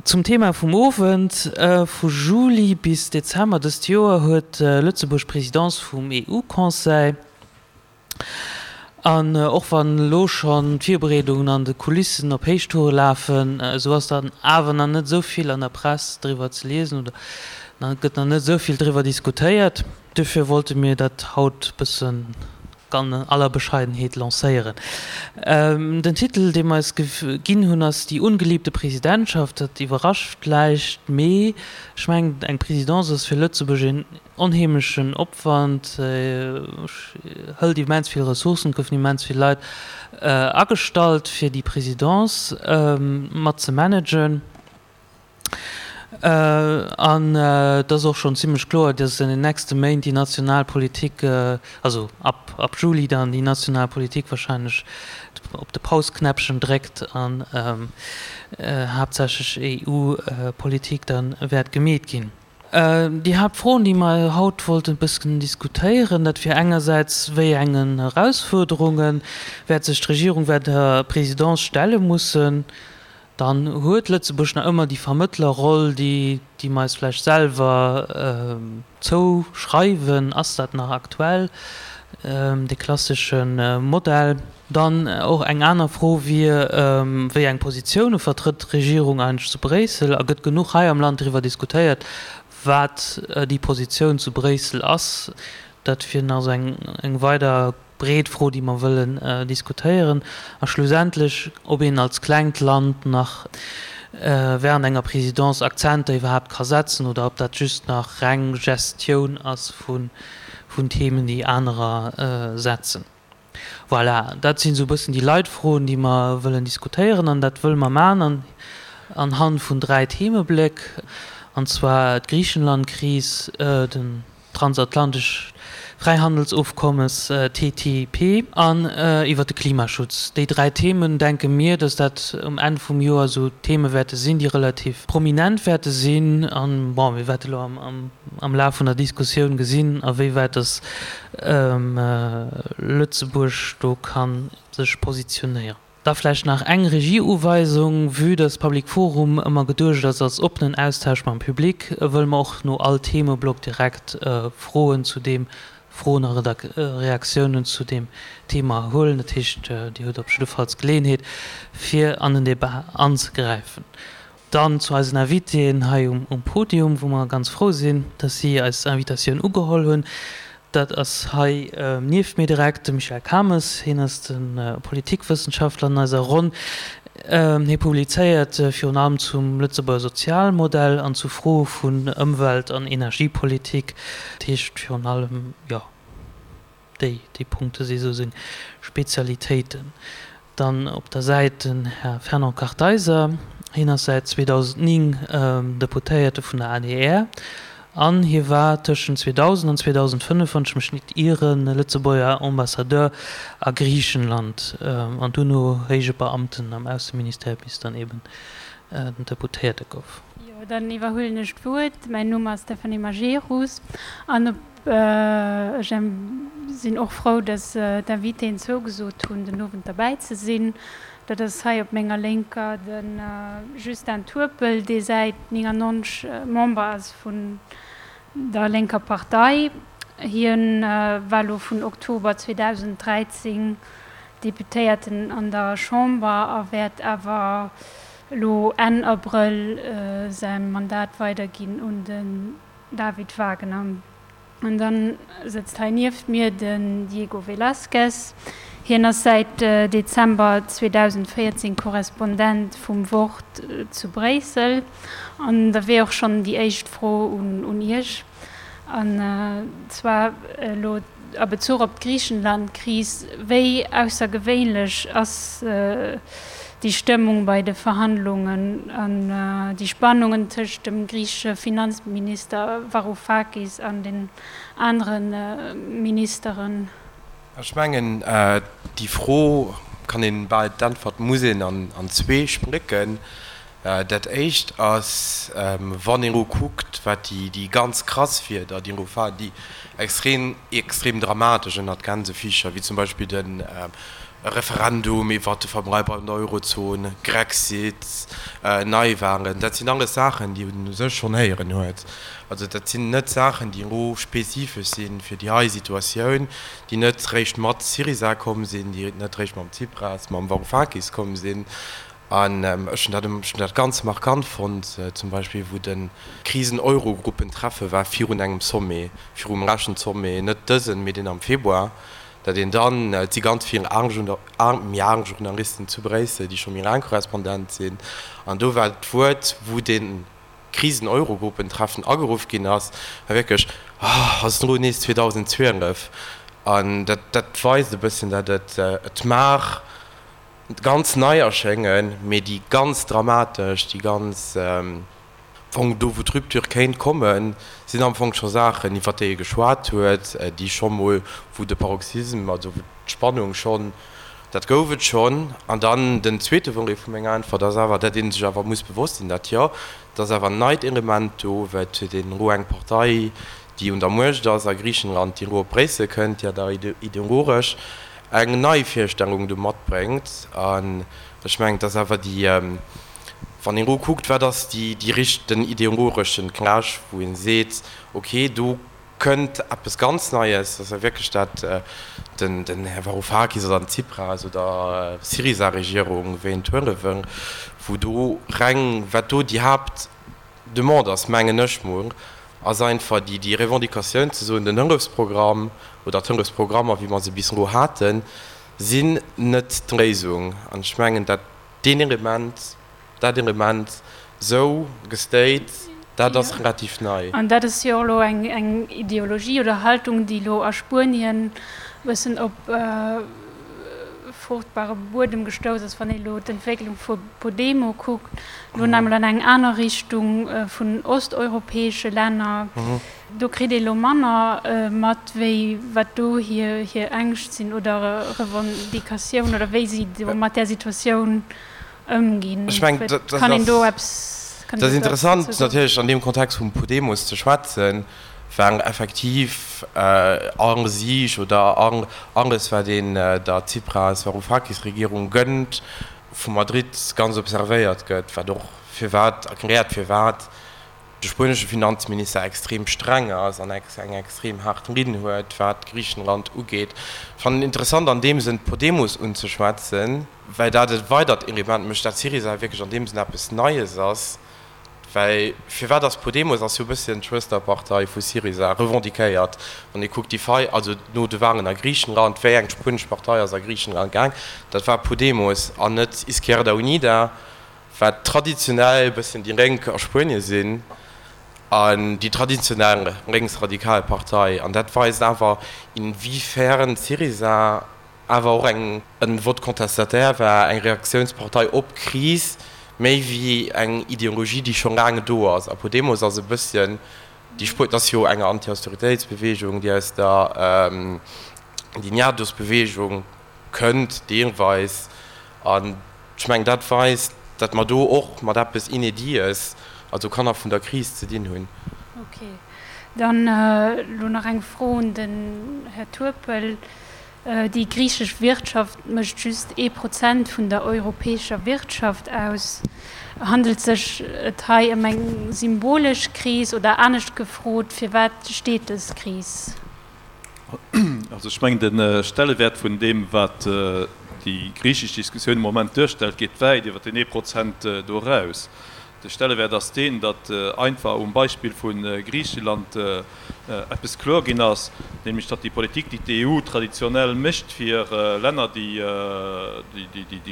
Zum Thema vum Owend, Vu Juli bis Dezember dëst Joer huet Lëtzebuerg d'Presidence vum EU-Conseil. An och wann elo schonn d'Virbereedungen an de Kulissen op Héichtoure lafen, esou ass dann awer nach net esou vill an der Press driwwer ze liesen oder gëtt nach net esou vill driwwer diskutéiert. Duerfir wollte mir dat haut bëssen an aller Bescheidenheet lancéieren. Den Titel, dee mer eis ginn hunn, ass Die ungeliebte Präsidentschaft. Dat iwwerrascht vläicht, mee ech mengen, eng Présidence ass fir Lëtzebuerg een onheemlechen Opwand, hëlt immens vill Ressourcen, et goufen immens vill Leit agestallt, fir déi Présidence mat ze managen. An et ass och schonn zimlech kloer, dass an den nächste Méint déi national Politik, also ab ab Juli dann déi national Politik wahrscheinlech op de Pausknäppchen dréckt an haaptsächlech EU-Politik da wäert gemeet ginn. Déi Haaptfroen, déi mer haut wollten e bëssen diskutéieren, dat wier engersäits, wéi engen Erausfuerderunge wäert sech d'Regierung während der Présidence stelle mussen? Dann huet Lëtzebuerg nach ëmmer déi Vermëttlerroll, déi, déi mer eis vläicht selwer zouschreiwen. Ass dat nach aktuell, dee klassesche Modell? Dann och eng aner Fro wier, Wéi eng Positioune vertrëtt d'Regierung eigentlech zu Bréissel? A gëtt genuch hei am Land driwwer diskutéiert, wat déi Positioun zu Bréissel ass? Dat wier nach esou eng weider breet Fro, déi mer wëllen diskutéieren, a schlussendlech, ob een als klengt Land nach während enger Présidence Akzenter iwwerhaapt ka setzen oder ob dat just nach reng Gestioun ass vun Themen, déi anerer setzen. Voilà, dat sinn esou e bëssen déi Leitfroen, déi mer wëllen diskutéieren, an dat wëlle mer maachen anhand vun dräi Themebléck, an zwar d'Griichenland-Kris, den Transatlantescht Fräihandelsofkommes, TTIP, an iwwer de Klimaschutz. Déi dräi Themen, denke mir, datt dat um Enn vum Joer esou Theme wäerte sinn, déi relativ prominent wäerte sinn. An, bon, mir wäerte elo am Laf vun der Diskussioun gesinn, awéiwäit datt Lëtzebuerg do ka sech positionéieren. Da vläicht nach eng Regieuweisung, Vue dass Public Forum ëmmer geduecht ass als oppenen Austausch mam Public, wëlle mer och no all Themeblock direkt Froen zu deem, Froen a Reaktiounen zu deem Thema huelen. Dat heescht, Dir hutt op jiddefalls d'Geleeënheet, fir an den Debat anzegräifen. Dann zu eisen Invitéen hei um Podium, wou mer ganz frou sinn, dass si eis Invitatioun ugeholl hunn. Dat ass hei nieft mir direkt de Michel Kames. Hien ass de Politikwëssenschaftler an eiser Ronn. Hie publizéiert virun allem zum Lëtzebuerger Sozialmodell an zu Froe vun Ëmwelt an Energiepolitik. Dat heescht virun allem, jo. Déi, déi Punkte si sou seng Spezialitéiten. Dann op der Säit den Här Fernand Kartheiser. Hien ass säit 2009 Deputéierte vun der adr an hie war tëschent 2000 an 2005, wann ech mech nit ieren, Lëtzebuerger Ambassadeur a Griichenland an duerno héije Beamten am Ausseministère, bis dann eben den Deputéierte gouf. Jo, dann iwwerhuelen ech d'Wuert. Mäin Numm ass Stéphanie Majerus an op Ech sinn och frou, dass d'Invitéen zougesot hunn, den Owend derbäi ze sinn. Dat ass hei op menger Lénker de Justin Turpel, dee säit 99 Member ass vun der Lénker Partei. Hien war elo vun Oktober 2013 Deputéierten an der Chamber a wäert awer elo Enn Abrëll säi Mandat weiderginn un de David Wagner. An dann sëtzt hei nieft mir den Diego Velázquez. Hien ass säit Dezember 2014 Korrespondent vum Wort zu Bréissel. An da wier och schonn déi éischt Fro un Iech, an zwar elo a Bezuch op d'Griichenland-Kris, Wéi aussergewéinlech ass déi Stëmmung bei de Verhandlungen an déi Spannungen tëscht dem griichesche Finanzminister Varoufakis an den anere Ministeren? Ech mengen, déi Fro kann een, bal d'Äntwert muss een an zwee splécken. Dat éischt ass, wann een elo kuckt, wat déi ganz krass Wieder, déi elo waren, déi extrem, extrem dramatesch ënnert Gänsefiischer, wéi zum Beispill den. E Referendum iwwert de Verbleib an der Eurozon, Grexit, Neiwahlen, dat sinn alles Saachen, déi een u sech schonn héieren huet. Also dat sinn net Saachen, déi elo spezifesch si fir déi hei Situatioun, déi net réischt mat Syriza komm sinn, déi net réischt mam Tsipras, mam Varoufakis komm sinn. An ech hunn dat, ech hunn dat ganz markant fonnt, zum Beispill wou de Krisen-Eurogruppen-Treffe war virun engem Sommet, virum leschten Sommet, net dësen, mee deen am Februar, Datt een dann, et si ganz vill méi aarm Journalisten zu Bréissel, déi scho méi laang Korrespondent sinn, an do war d'Wuert, wou dee Krisen-Eurogruppentreffen ageruff ginn ass, war wierklech, Oh, ass et elo nees 2012? An dat, dat weist e bësschen, datt et, et mag ganz nei erschéngen, mee déi ganz dramatesch, déi ganz, Fong, do wou d'Rupture kéint kommen, sinn am Fong scho Saachen, iwwert déi ee geschwat huet, déi scho mol, wou de Paroxysme, also wou d'Spannung schonn, dat gouf et schonn. An dann den zweete Volet vu menger Äntwert ass awer, dat ee sech awer muss bewosst sinn, dat jo, et ass awer en neit Element do, well et huet een elo eng Partei, déi un der Muecht ass a Griichenland, déi elo op Bréissel kënnt, déi awer ideologesch eng nei Virstellung do matbréngt. An ech mengen, et ass awer déi, Wann een elo kuckt, wat ass déi, déi richt, den ideologeschen Clash, wou ee seet, okay, do kënnt eppes ganz Neies, dat ass ja wierklech dat, den, den Här Varoufakis oder den Tsipras oder Syriza-Regierung, wéi een et huele wëll, wou do reng, wat do déi Haaptdemande ass, mengen ech mol, ass einfach déi, déi Revendicatioun ze soen, den Hëllefsprogramm oder d'Hëllefsprogrammer, wéi mer se bis elo haten, sinn net d'Léisung. An ech mengen, dat Deen Element, dat Element sou gestate, dat ass relativ nei. An dat ass jo och elo eng Ideologie oder Haltung, déi elo a Spuenien e bëssen op fruchtbare Buedem gestouss ass, wann ee elo d'Entwécklung vu Podemo kuckt, elo nach emol an eng aner Richtung vun osteuropäesche Länner. Do kritt ee lo manner mat, wéi wat do hir Ängscht sinn oder Revendicatioun oder wéi si do mat där Situatioun ëmginn. Ech mengen, dat Kann een do eppes, kann een do ass eppes interessant dozou soen? natierlech an deem Kontext vum Podemos ze schwätzen, well effektiv all Sieg oder alles, wat een der Tsipras-Varoufakis-Regierung gënnt, vu Madrid ganz observéiert gëtt, wat och firwat erkläert, firwat de spuenesche Finanzminister extrem streng ass an eng extrem haart Linn huet, wat Griichenland ugeet. Ech fannen et interessant an deem Sënn Podemos unzeschwätzen, well dat e weidert Element mécht, dat Syriza wierklech an deem Sënn eppes Neies ass. Well firwat ass Podemos ass jo e bësschen d'Schwësterpartei vu Syriza, revendiquéiert. Wann ee kuckt déi Fei, also no de Walen a Griichenland, wéi eng spuenesch Partei ass a Griichenland gaang, dat war Podemos an net Izquierda Unida. wat traditionell e bësschen déi Lénk a Spuenie sinn an déi traditionell lénksradikal Partei. An dat weist awer, inwiefern Syriza awer och eng e Vote contestataire war, eng Reaktiounspartei op d'Kris, méi wéi eng Ideologie, déi scho laang do ass. A Podemos ass e bësschen déi Spuer, dat ass jo eng Anti-Austeritéitsbeweegung, déi aus der Indignados-Beweegung kënnt deelweis. An ech mengen, dat weist, datt mer do och mat eppes Inédites, also Kanner vun der Kris, ze dinn hunn. Okay. Dann elo nach eng Fro un den Här Turpel. Déi griichesch Wirtschaft mécht just ee Prozent vun der europäescher Wirtschaft aus. Handelt sech et hei ëm eng symbolesch Kris oder anescht gefrot, firwat steet dës Kris? Also ech mengen, de Stellewäert vun deem, wat déi griichesch Diskussioun am Moment duerstellt, geet wäit iwwer deen ee Prozent do eraus. De Stellewäert ass deen, datt einfach um Beispill vu Griicheland eppes kloer ginn ass, nämlech datt déi Politik, déi d'EU traditionell mécht fir Länner, déi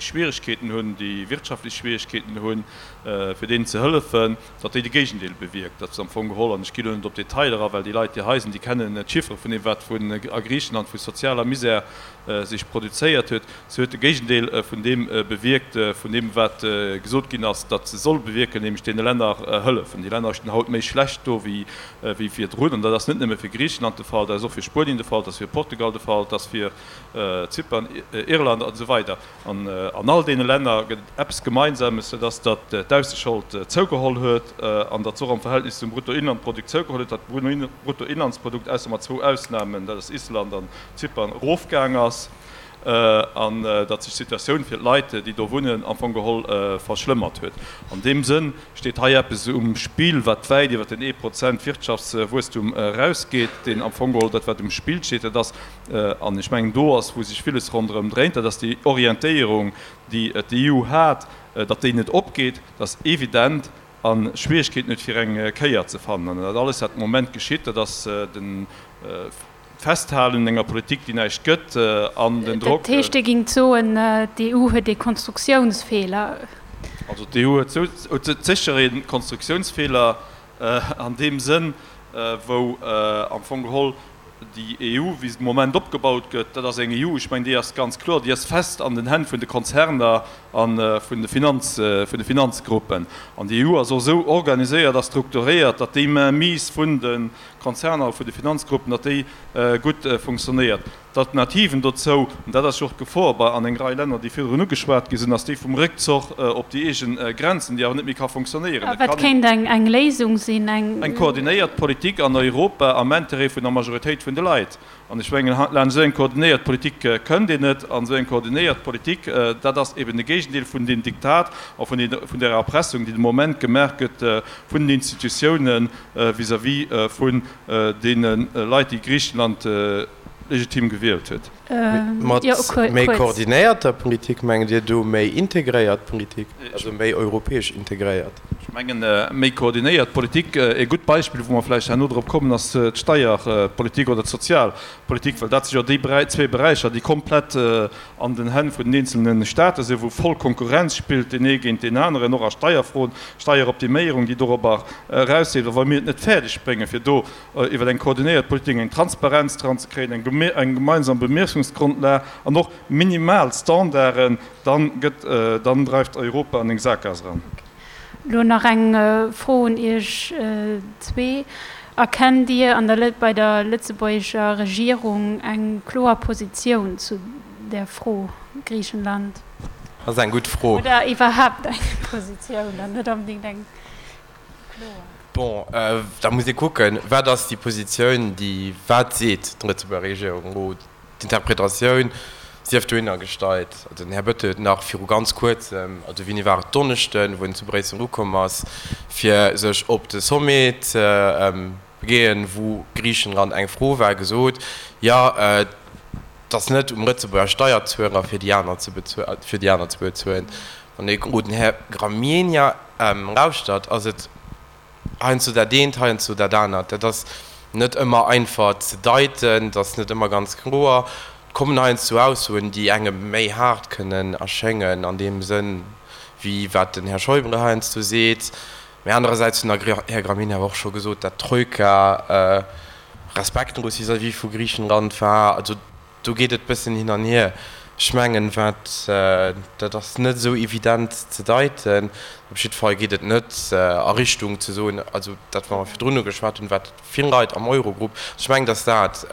Schwieregkeeten hunn, déi wirtschaftlech Schwieregkeeten hunn, fir deenen ze hëllefen, datt déi de Géigendeel bewierkt, datt se am Fong geholl, an ech ginn elo net op d'Detailer a well déi Leit, déi hei sinn, déi kennen d'Chiffere vun deem, wat vun a Griichenland vu sozialer Misär sech produzéiert huet, se huet de Géigendeel vun deem bewierkt, vun deem, wat gesot ginn ass, datt se soll bewierken, nämlech deene Länner hëllefen. Déi Länner stinn haut méi schlecht do wéi virdrun. An dat ass net nëmme fir Griichenland de Fall, dat ass och fir Spuenien de Fall, dat ass fir Portugal de Fall, dat ass fir Zypern, Irland an esou weider. An an all deene Länner gëtt et eppes Gemeinsames, dat ass, datt d'Aussekhold zougeholl huet an datt se och am Verhältnis zum Bruttoinlandprodukt zougeholl huet, datt d'Bruttoinlandsprodukt, ausser mat zwou Ausnamen, dat ass Island an Zypern, erofgaang ass. an datt sech d'Situatioun fir d'Leit, déi do wunnen, am Fong geholl verschlëmmert huet. An deem Sënn steet hei eppes um Spill, wat wäit iwwer den ee Prozent Wirtschaftswuesstum erausgeet, deen am Fong geholl dat, wat um Spill steet, dat ass, an ech mengen, do ass, wou sech villes ronderëm dréint, dat ass déi Orientéierung, déi d'EU hat, datt déi net opgeet, dat ass evident, a Schwierigkeeten huet, fir eng Kéier ze fannen. An dat alles, wat de Moment geschitt, dat ass de Festhalen un enger Politik, déi näischt gëtt, an den Drock. Dat heescht, Dir gingt soen, d'EU huet ee Konstruktiounsfeeler? Also d'EU huet sécher ee Konstruktiounsfeeler an deem Sënn, wou am Fong geholl déi EU, wéi se de Moment opgebaut gëtt, dat ass eng EU, ech mengen, déi ass ganz kloer, déi ass fest an den Hänn vun de Konzerner a vun de Finanz, vun de Finanzgruppen. An déi EU ass och esou organiséiert a strukturéiert, datt déi Mainmise vun de Konzerner a vun de Finanzgruppen, datt déi gutt funktionéiert. D'Alternativen dozou, an dat ass jo och d'Gefor bei an eng Rei Länner, déi virdrun ugeschwat gi sinn, ass déi vum Réckzoch op déi eegen Grenzen, déi awer net méi ka fonctionnéieren. A wat kéint eng Léisung sinn? Eng koordinéiert Politik an Europa am Intérêt vun der Majoritéit vun de Leit. An ech mengen, laanscht esou eng koordinéiert Politik kënnt een net. An esou eng koordinéiert Politik, dat ass eben de Géigendeel vun deem Diktat a vun där Erpressung, déi de Moment gemaach gëtt vun den Institutiounen vis-à-vis vun deene Leit, déi Griichenland legitim gewielt huet. Mat méi koordinéierter Politik mengt Dir do méi integréiert Politik, also méi europäesch integréiert? Ech mengen, méi koordinéiert Politik, e gutt Beispill, wou mer vläicht herno drop kommen, ass d'Steierpolitik oder d'Sozialpolitik, well dat si jo déi zwee Beräicher, déi komplett an den Hänn vun den eenzelne Staate sinn, wou voll Konkurrenz spillt, deen ee géint deen aneren, och a Steierfroen, Steieroptiméierung, déi dorobber erausleeft. A wa mir et net fäerdeg bréngen, fir do iwwer eng koordinéiert Politik eng Transparenz dran ze kréien, eng gemeinsam Bemiessungsgrondlag an och minimal Standarden, dann gëtt, dann dreift Europa an eng Saakgaass eran. Elo nach eng Fro un Iech zwee, Erkennt Dir an der, bei der lëtzebuergescher Regierung eng kloer Positioun zu där Fro Griichenland? Dat ass eng gutt Fro. Oder iwwerhaapt eng Positioun an net onbedéngt eng kloer. Bon, da muss ee kucken, wat ass déi Positioun, déi, wat seet d'Lëtzebuerger Regierung elo? D'Interpretatioun sief dohinner gestallt. Also den Här Bettel huet nach viru ganz Kuerzem, also wéini war et, Donneschden, wou en zu Bréissel ukomm ass, fir sech op de Sommet ze begeen, wou Griichenland eng Fro war, gesot, jo, et ass net um Lëtzebuerger Steierzueler, fir déi aner ze fir déi aner ze bezuelen. Wann ee elo den Här Gramegna lauschtert, ass et heiansdo dat eent, heiansdo dat anert. Dat ass net ëmmer einfach ze deiten, dat ass net ëmmer ganz kloer. Et kommen heiansdo Aussoen, déi engem méi haart kënnen erschéngen an deem Sënn, wéi wat den Här Schäuble heiansdo seet. Mä anerersäits hunn der Här Gramegna awer och scho gesot, dat d'Troika respektlos vis-à-vis vu Griichenland war. Also Do geet et bëssen hin an hier. Ech mengen, wat, dat ass net esou evident ze deiten. Op jidde Fall geet et net a Richtung ze soen, also dat, wat mer virdrun ugeschwat hunn, wat vill Leit am Eurogrupp, ech mengen, dass dat,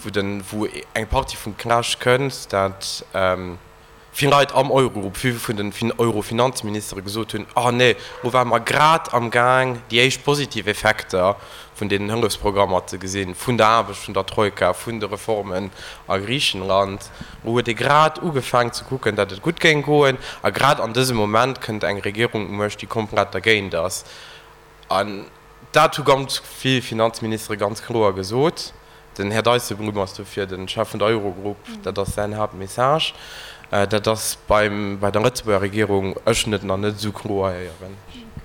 wou den, wou eng Partie vum Clash kënnt, dat, Vill Leit am Eurogrupp, vill vun den Euro-Finanzministere gesot hunn, Oh nee, lo ware mer grad am Gaang, déi éischt positiv Effekter vun deenen Hëllefsprogrammer ze gesinn, vun der Aarbecht vun der Troika, vun de Reformen a Griichenland. Lo huet ee grad ugefaang ze kucken, datt et gutt géing goen. A grad an dësem Moment kënnt eng Regierung u Muecht, déi komplett dergéint ass. An dat hu ganz vill Finanzministere ganz kloer gesot. Den Här Dijsselbloem ass dofir de Chef vun der Eurogrupp, dat ass säin Haaptmessage. Dat ass beim, bei der Lëtzebuerger Regierung, ech hunn et nach net esou kloer héieren.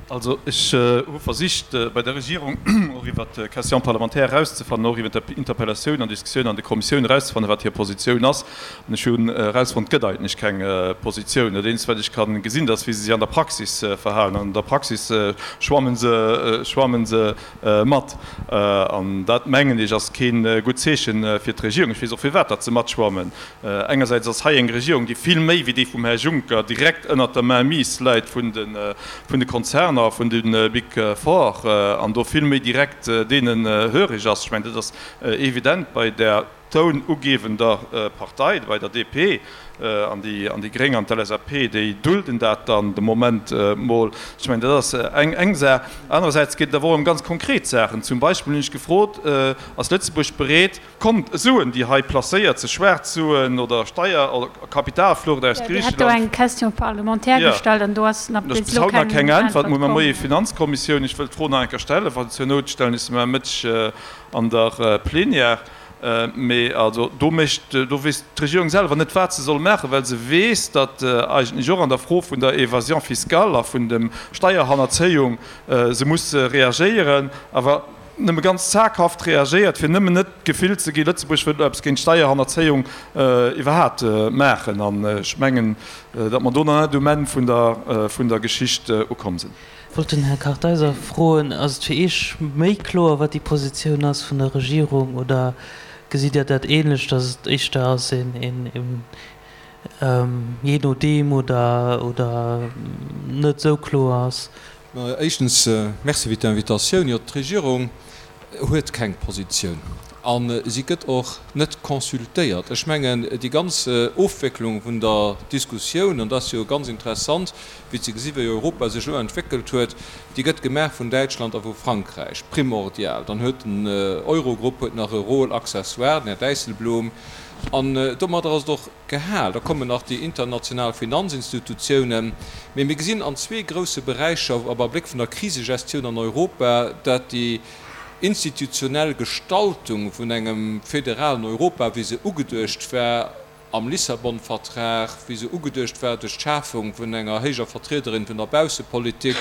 Also ech hu versicht bei der Regierung och iwwert d'Question parlementaire erauszefannen, och iwwert Interpellatioun an Diskussioun an de Kommissioun erauszefannen, wat hir Positioun ass. An ech hunn erausfonnt, et gëtt eigentlech keng Positioun. Dat eenzegt, wat ech ka gesinn, dat ass, wéi se sech an der Praxis verhalen. An der Praxis schwammen se, schwammen se mat. An dat, mengen ech, ass kee gutt Zeeche fir d'Regierung. Ech weess och, firwat datt se matschwammen. Engersäits ass hei eng Regierung, déi vill méi wéi déi vum Här Juncker direkt ënnert der Mainmise läit vun de Konzerner, vun de Big Four, an do vill méi direkt deenen hörig ass. Ech mengen, dat ass evident bei där. tounugewender Partei, bei der DP, an déi an déi Gréng an d'LSAP, déi dulden dat dann de Moment mol. Ech mengen, dat ass eng eng Saach. Anerersäits geet et awer och ëm ganz konkret Saachen. Zum Beispill hunn ech gefrot, Ass Lëtzebuerg bereet, Kont Suen, déi hei placéiert sinn, schwaarz Suen oder Steier oder Kapitalflucht aus Dir hat do Griicheland? eng Question parlementaire Jo, gestallt an do ass nach do ass bis bis elo haut nach keng keng Äntwert. Äntwert Muer mam komm. Moie Finanzkommissioun, ech wëll d'Fro nach eng Kéier stellen, wa zur Nout stellen ech se muer Mëtteg an der Plenière. Mee also do mécht, do weess d'Regierung selwer net, wat se soll maachen, well se weess, datt eigentlech och an der Fro vun der Évasion fiscale a vun dem Steierhannerzéiung se muss reagéieren, awer nëmme ganz zaghaft reagéiert, fir nëmmen net d'Gefill ze ginn, Lëtzebuerg wëllt elo eppes géint d'Steierhannerzéiung iwwerhaapt maachen. An ech mengen, datt mer do nach net um Enn vun der, vun der Geschicht ukomm sinn. Wollt den Här Kartheiser froen, Ass et fir Iech méi kloer, wat déi Positioun ass vun der Regierung, oder gesitt Dir dat ähnlech, datt et éischter ass een jee nodeem oder oder net esou kloer ass? Éischtens, Merci fir d'Invitatioun. Jo, d'Regierung huet keng Positioun a si gëtt och net consultéiert. Ech mengen, déi ganz Ofwécklung vun der Diskussioun, an dat ass jo ganz interessant, wéi ze gesi wéi Europa sech elo entwéckelt huet, déi gëtt gemaach vun Däitschland a vu Frankräich primordial. Dann huet den Eurogrupp huet nach e Rôle accessoire, den Här Dijsselbloem, an domadder ass et och gehal. Da kommen nach déi international Finanzinstitutiounen. Mee mir gesinn an zwee grousse Beräicher, am Abléck vun der Krisegestioun an Europa, dat déi institutionell Gestaltung vun engem federalen Europa, wéi se ugeduecht war, am Lissabon-Vertrag, wéi se ugeduecht war duerch d'Schafung vun enger héijer Vertriederin vun der Baussepolitik,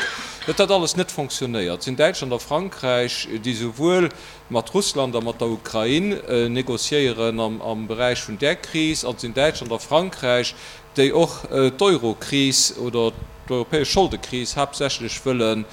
datt dat alles net fonctionnéiert. Et sinn Däitschland a Frankräich, déi souwuel mat Russland a mat der Ukrain négociéieren am Beräich vun där Kris, an et sinn Däitschland a Frankräich, déi och d'Eurokris oder d'europäesch Scholdekris haaptsächlech wëllen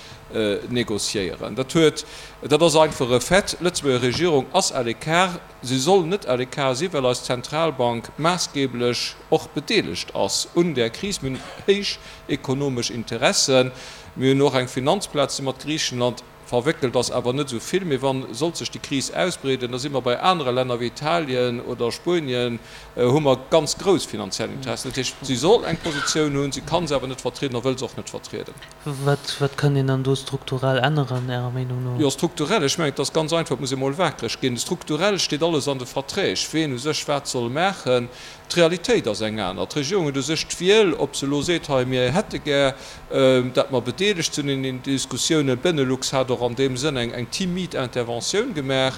négociéieren. Dat huet, dat ass einfach e Fait, d'Lëtzebuerger Regierung ass à l'écart. Se soll net à l'écart si well eis Zentralbank maassgeblech och bedeelegt ass un där Kris. Mir hunn héich ekonomesch Interessen. Mir hunn och eng Finanzplaz, déi mat Griichenland verwéckelt ass, awer net esou vill. Mee wann sollt sech déi Kris ausbreeden, da si mer bei anere Länner wéi Italien oder Spuenien, hu mer ganz grouss finanziell Interessen. Dat heescht, si soll eng Positioun hunn, si ka se awer net vertrieden a wëll se och net vertrieden. Wat, wat kann een dann do strukturell änneren, Ärer Meenung no? Jo, strukturell, ech mengen, et ass ganz einfach, et muss ee mol wakereg ginn. Strukturell steet alles an de Verträg, ween u sech wat soll maachen. D'Realitéit ass eng aner. D'Regierung huet u sech d'Wiel, ob se elo seet, hei, mir hätte gär, dat mer bedeelegt sinn un den Diskussiounen. D'Benelux hat och an deem Sënn eng, eng timid Interventioun gemaach.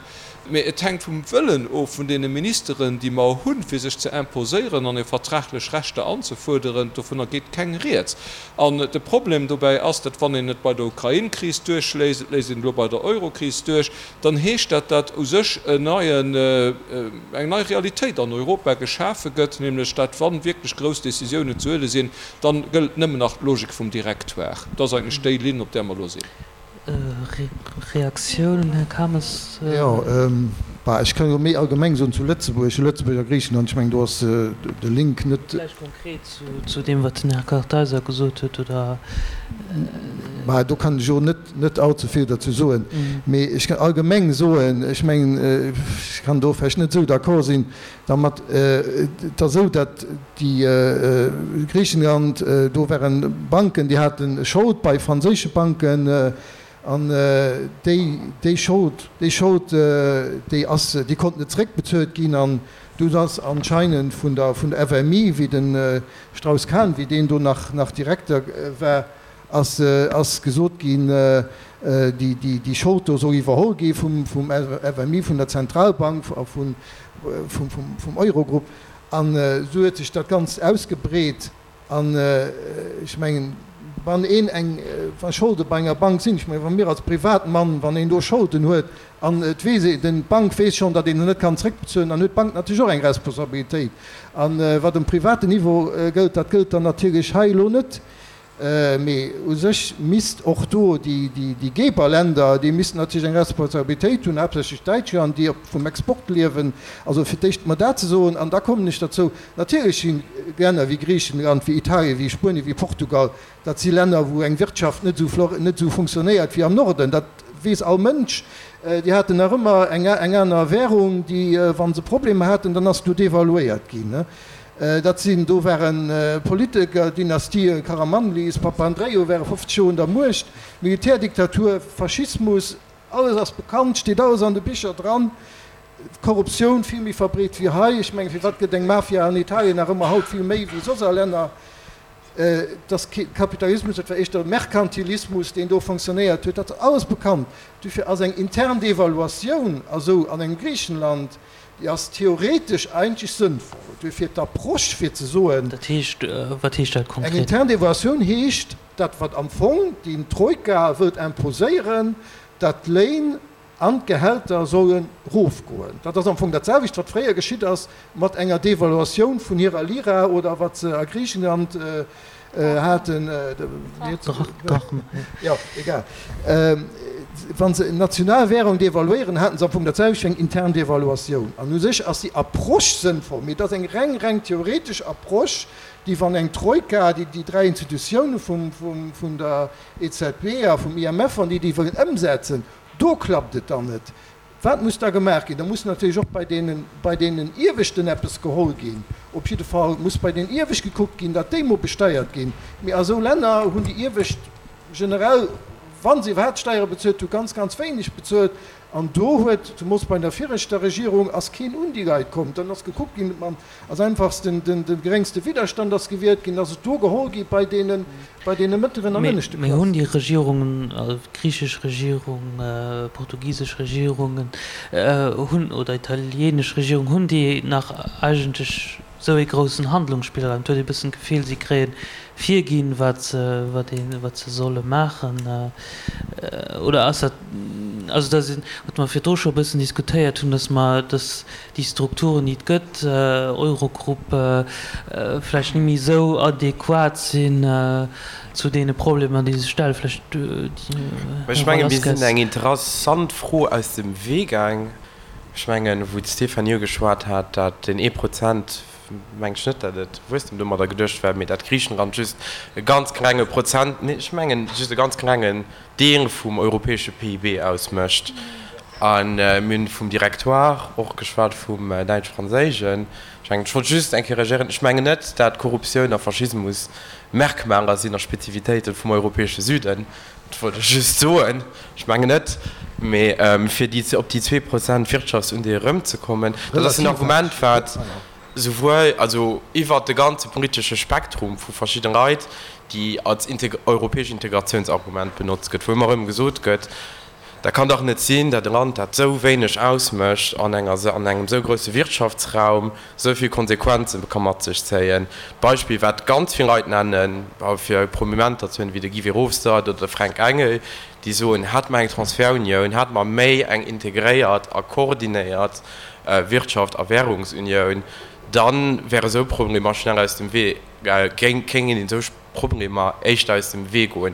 Mee et hänkt vum Wëllen of vun deene Ministeren, déi mer hunn, fir sech ze imposéieren an hir vertraglech Rechter anzefuerderen. Dovunner geet keng Rieds. An de Problem dobäi ass, datt wann een et bei der Ukrain-Kris duerchléisst, et léisst een et elo bei der Euro-Kris duerch, dann heescht dat, datt u sech en neien, eng nei Realitéit an Europa geschafe gëtt, nämlech datt, wa wierklech grouss Décisiounen ze huele sinn, dann gëllt nëmmen nach d'Logik vum Directoire. Dat ass eigentlech déi Linn, op där mer elo sinn. Reaktioun, Här Kames. Jo, bah, ech kann jo méi allgemeng soen zu Lëtzebuerg, Lëtzebuerg a Griichenland, ech mengen do ass de Link net. Vläicht konkret zu deem, wat den Här Kartheiser gesot huet, oder? Bah, do kann ech och net, net allze vill derzou soen, mee ech kann allgemeng soen, ech mengen, ech kann do vläicht net esou d'accord sinn dermat. Et ass esou, datt déi Griichenland, do ware Banken, déi hate Schold bei franséische Banken, an déi, déi Schold, déi Schold, déi ass, déi konnt net zeréckbezuelt ginn. An dunn ass anscheinend vun der, vun der FMI, wéi de Strauss-Kahn, wéi deen do nach, nach Direkter war, ass, ass gesot ginn, déi, déi, déi Schold do soll iwwerholl gi vum, vum FMI, vun der Zentralbank a vun, vum, vum, vum Eurogrupp. An esou huet sech dat Ganzt ausgebreet. An ech mengen, wann een eng, wa Scholde bei enger Bank sinn, ech mengen, wa mir als Privatmann, wann een do Scholden huet an et weess een, den, d'Bank weess schonn, datt een se net kann zréckbezuelen, dann huet d'Bank natierlech och eng Responsabilitéit. A wat um privaten Niveau gëllt, dat gëllt dann natierlech hei elo net. Mee u sech misst och do déi Geberländer, déi missten natierlech eng Responsabilitéit hunn, haaptsächlech Däitschland, déi vum Export liewen. Also fir d'éischt emol dat ze soen, an da kommen ech derzou, natierlech si Länner wéi Griichenland, wéi Italien, wéi Spuenien, wéi Portugal, dat si Länner, wou eng Wirtschaft net esou net esou funktionéiert wéi am Norden. Dat. weess all Mënsch. Déi haten nach ëmmer eng aner Währung, déi, wa se Problemer haten, dann ass do devaluéiert ginn. Dat sinn, do ware Politiker-Dynastië, Karamanlis, Papandreou ware 50 Joer un der Muecht, Militärdiktatur, Faschismus, alles ass bekannt, steet alles an de Bicher dran. Korruptioun vill méi verbreet wéi hei. Ech mengen, firwat gëtt eng Mafia an Italien nach ëmmer haut vill méi wéi soss a Länner? Et ass kee Kapitalismus, et war éischter Merkantilismus, deen do fonctionnéiert huet. Dat ass alles bekannt. Dofir ass eng intern Devaluatioun a sou an engem Griichenland, déi ass theoretesch eigentlech sënnvoll. Duerfir d'Approche fir ze soen. Dat heescht, wat heescht dat Eng konkret? intern Devaluatioun heescht dat, wat am Fong déi Troika wëllt imposéieren, datt d'Léin an d'Gehälter solle rofgoen. Dat ass am Fong dat selwecht, wat fréier geschitt ass mat enger Devaluatioun vun hirer Lira oder wat se a Griichenland haten. Drachme. Jo, egal. Wa se national Währung devaluéieren, haten se am Fong dat selwecht wéi eng intern Devaluatioun. An u sech ass déi Approche sënnvoll, mee et ass eng reng, reng theoretesch Approche, déi, wann eng Troika, déi déi dräi Institutioune vum der EZB a vum IMF, wann déi déi wëllen ëmsetzen, Do klappt et dann net. Wat muss da gemaach ginn? Da muss natierlech och bei deenen, bei deenen Ieweschten eppes geholl ginn. Op jidde Fall muss bei den Iewescht gekuckt ginn, datt déi mol besteiert ginn. Mee a sou Länner hunn déi Iewescht generell, wa se iwwerhaapt Steiere bezuelt hunn, ganz, ganz wéineg bezuelt. An do huet, zemools bei der viregter Regierung, ass keen un déi Leit komm. Dann ass gekuckt ginn, mam als einfachsten, den, de geréngste Widderstand ass gewielt ginn, ass et do geholl gi bei deene, bei deene mëttleren an ënneschte Mee hunn déi Regierungen, also d'griichesch Regierung, portugisesch Regierungen, hunn, oder italienesch Regierung, hunn déi nach eigentlech esou ee groussen Handlungsspillraum? Et huet ee bëssen d'Gefill, si kréien virginn, wat se, wat ee, wat se solle maachen. Oder ass dat, also dat ass, wat mer virdru scho e bëssen diskutéiert hunn, datt mer, datt déi Strukturen, déi et gëtt, Eurogrupp, vläicht net méi esou adequat sinn zu deene Problemer, déi sech stellen. Vläicht, Här Ech menge mir sinn eng interessant Fro aus dem Wee gaang. Ech mengen, wou d'Stéphanie ugeschwat hat, dat deen ee Prozent, meng ech net, dat et Wuesstem domadder geduecht war, mee dat Griichenland just e ganz klenge Prozent, nee, ech mengen just e ganz klengen Deel vum europäesche PIB ausmécht. A mir hunn vum Directoire och geschwat, vum däitsch-franséischen. Ech mengen, ech wollt just eng Kéier reagéieren, ech mengen net, dat Korruptioun a Faschismus Merkmaler sinn a Spezifitéite vum europäesche Süden. Dat wollt ech just soen. Ech mengen net. Mee fir déi, op déi 2 Prozent Wirtschaftsundeel erëmzekommen, dat ass en Argument, wat souwuel, also iwwert de ganze politesche Spektrum vu verschidde Leit, déi als europäesch Integratiounsargument benotzt gëtt, wou ëmmer erëm gesot gëtt, dat kann dach net sinn, dat e Land, dat esou wéineg ausmécht an enger, an engem esou grousse Wirtschaftsraum, esou vill Konsequenze ka mat sech zéien. D'Beispill, wat ganz vill Leit nennen, fir Prominenter ze huelen, wéi de Guy Verhofstadt oder de Fränk Engel, déi soen, hätte mer eng Transferunioun, hätte mer méi eng integréiert a koordinéiert Wirtschaft a Währungsunioun, da wäre esou Problemer schnell aus dem Wee, géingen een esou Problemer éischter aus dem Wee goen.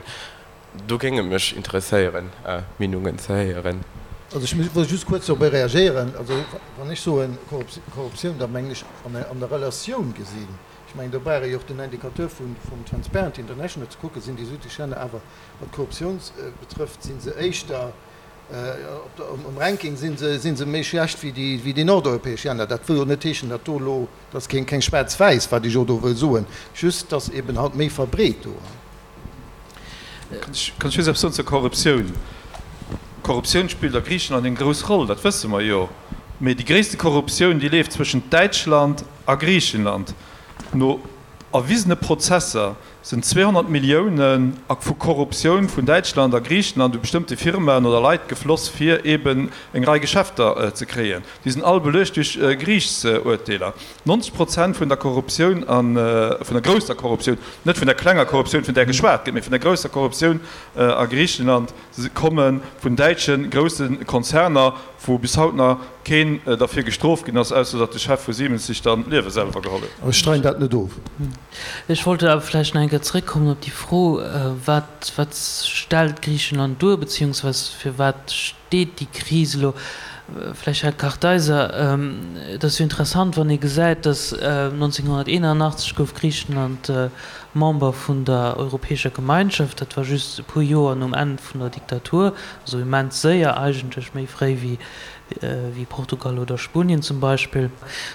Do géing et mech interesséieren, Meenungen ze héieren. Also ech wëll just kuerz dorobber reagéieren. Also wann ech soen Korruptioun, da mengen ech an der Relatioun gesinn. Ech mengen, do brauch ee jo och den Indicateur vum Transparency International ze kucken, sinn déi südlech Länner awer, wat d'Korruptioun betrëfft, si se éischter Um Ranking si se méi schlecht wéi déi nordeuropäesch Länner. Dat wëll jo net heeschen, datt do elo, dat ass keng schwaarz-wäiss, wat ech elo do wëll soen, just datt eben halt méi verbreet do. Kann ech just eppes soen zur Korruptioun? Korruptioun spillt a Griichenland eng grouss Roll, dat wësse mer jo. Mee déi gréisste Korruptioun, déi leeft zwëschent Däitschland a Griichenland. No erwisene Prozesser sinn 200 Milliounen a vu Korruptioun vun Däitschland a Griichenland u bestëmmte Firmaen oder Leit gefloss, fir eeben eng Rei Geschäfter ze kréien. Déi sinn all beluecht duerch Geriichtsurteeler. 90 Prozent vun der Korruptioun a vun der grousser Korruptioun, net vun der klenger Korruptioun, vun där geschwat gëtt, mee vun der grousser Korruptioun a Griichenland komme vun däitsche grousse Konzerner, wou bis haut nach keen derfir gestrooft ginn ass, ausser datt de Chef vu Siemens sech dann d'Liewe selwer geholl huet. Ech streiden dat net of. Ech wollt awer vläicht nach eng Kéier zréckkommen op déi Fro, wat, wat stellt Griichenland duer, beziehungsweise fir wat steet déi Kris elo? Vläicht, Här Kartheiser, et ass jo interessant, wann ee gesäit, datt 1981 gouf Griichenland Member vun der Europäescher Gemeinschaft, dat war just e puer Joer nom Enn vun der Diktatur, also immens séier eigentlech, méi fréi wéi Portugal oder Spuenien zum Beispill.